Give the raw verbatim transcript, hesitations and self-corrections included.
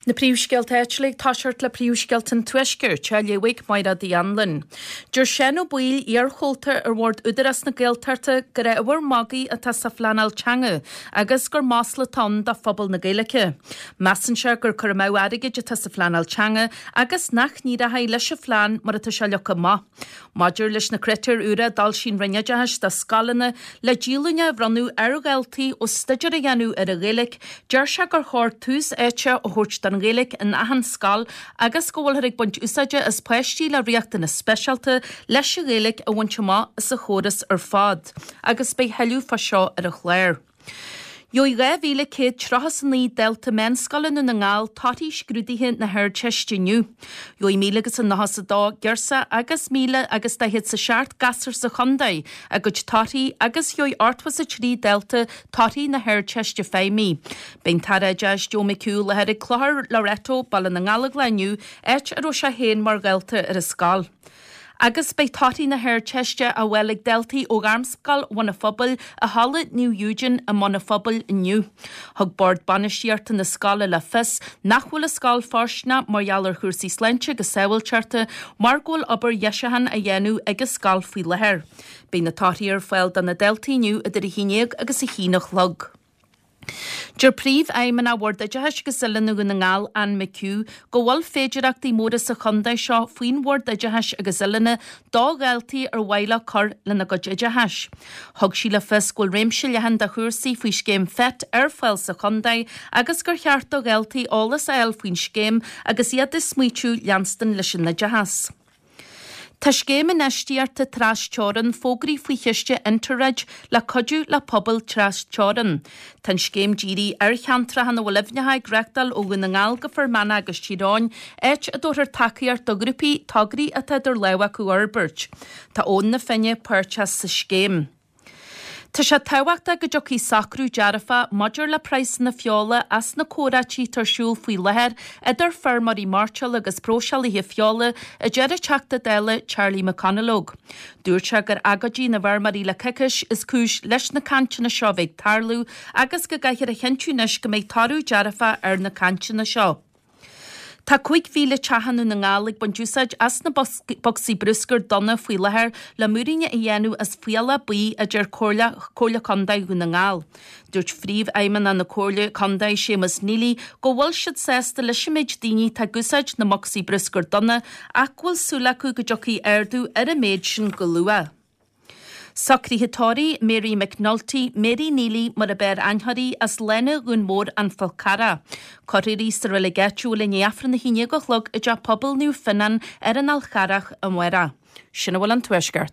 Na príomhscéalta áitiúla ag toiseacht le príomhscéalta an Tuaiscirt, á léamh ag Máire Uí Anluain. Deir Seán Ó Baoill, iarchomhalta ar bhord Údarás na Gaeltachta, gur ábhar magaidh atá sa phleanáil teanga agus gur masla atá ann do phobal na Gaeilge. Measann sé gur cur amú airgid atá sa phleanáil teanga agus nach n-éireoidh leis an phlean mar atá sé leagtha amach. Maidir leis na critéir úra a d'fhoilsigh an Roinn Oideachais do scoileanna le díolúine a bhronnadh ar dhaltaí ó staidéar a dhéanamh ar an Ghaeilge, deir sé gur chóir tús áite a thabhairt don Ghaeilge in achan scoil agus go bhfuilthear ag baint úsáide as páistí le riachtanais speisialta leis an Ghaeilge a bhaint amach as an chóras ar fad, agus beidh tuilleadh fá seo ar an chlár. Gheobhaidh dhá mhíle céad tríocha is a naoi dalta meánscoile i nDún na nGall torthaí scrúduithe na hArdteiste inniu. Gheobhaidh míle agus a nócha is a dó girseach agus míle agus daichead is a seacht gasúr sa chontae a gcuid torthaí agus gheobhaidh ochtó is a trí dalta torthaí na hArdteiste Feidhmí. Beidh an tAire Oideachais Joe McHugh i láthair ag Clochar Loreto, Baile na nGallóglach inniu, áit a raibh sé féin mar dhalta ar an scoil. Agus beidh torthaí na hArdteiste á bhfáil ag daltaí ó Ghairmscoil Bhun an Phobail i Halla Naomh Eugene i mBun an Phobail inniu. Thug Bord Bainistíochta na scoile le fios nach bhfuil an scoil fóirsteanach mar gheall ar chúrsaí sláinte agus sábháilteachta mar go bhfuil obair dheisiúcháin á dhéanamh ag an scoil faoi láthair. Beidh na torthaí ar fáil do na daltaí inniu idir a haon déag agus a haon a chlog. Deir Príomhfheidhmeannach Bhord Oideachais agus Oiliúna Dhún na nGall, Anne McHugh, go bhfuil féidearthachtaí móra sa chontae seo faoin Bhord Oideachais agus Oiliúna do dhaltaí ar mhaith leo cur lena gcuid oideachais. Thug sí le fios go bhfuil réimse leathan de chúrsaí faoi scéim FET ar fáil sa chontae agus gur cheart do dhaltaí eolas a fháil faoin scéim agus iad ag smaoitiú leanstan leis an oideachas. Tá scéim infheistíochta trasteorann fógraithe faoi chiste Interreg le cuidiú le pobail trasteorann. Tá an scéim dírithe ar cheantracha ina bhfuil aibhneacha ag reáchtáil ó Dhún na nGall go Fear Manach agus Tír Eoghain, áit a dtabharfar tacaíocht do ghrúpaí tograí atá idir lámha acu a fhorbairt. Tá Abhainn na Finne páirteach sa scéim. Tá sé tábhachtach go dtiocfaidh socrú dearfach maidir le praghsanna feola as na comhráití atá ar siúl faoi láthair idir feirmeoirí mairteola agus próiseálaithe feola, a deir an Teachta Dála Charlie McConalogue. Dúirt sé gur agóidí na bhfeirmeoirí le coicís is cúis leis na cainteanna seo a bheith ag tarlú agus go gcaithfear a chinntiú anois go mbeidh toradh dearfach ar na cainteanna seo. Tá cúig mhíle teach i nDún na nGall ag baint úsáid as na bocsaí bruscair donna faoi láthair le múiríní a dhéanamh as fiala buí, a deir Comhairle Comhairle Contae Dhún na nGall. Dúirt Phríomhfheidhmeannach na Comhairle Contae Séamus Neely go bhfuil siad sásta leis an méid daoine atá ag úsáid na mbocsaí bruscair donna ach go bhfuil súil acu go dtiocfaidh ardú ar an méid sin go luath. Socruithe tórraimh Mary McNulty, Mary Neely mar ab fhearr aithne uirthi, as Lána Dhún Mór, An Fál Carrach. Cuirfear í sa reilig áitiúil i ndiaidh Aifreann a haon déag a chlog i dTeach Pobail Naomh Fionnán ar an Fhál Charrach amárach. Sin a bhfuil ón Tuaisceart.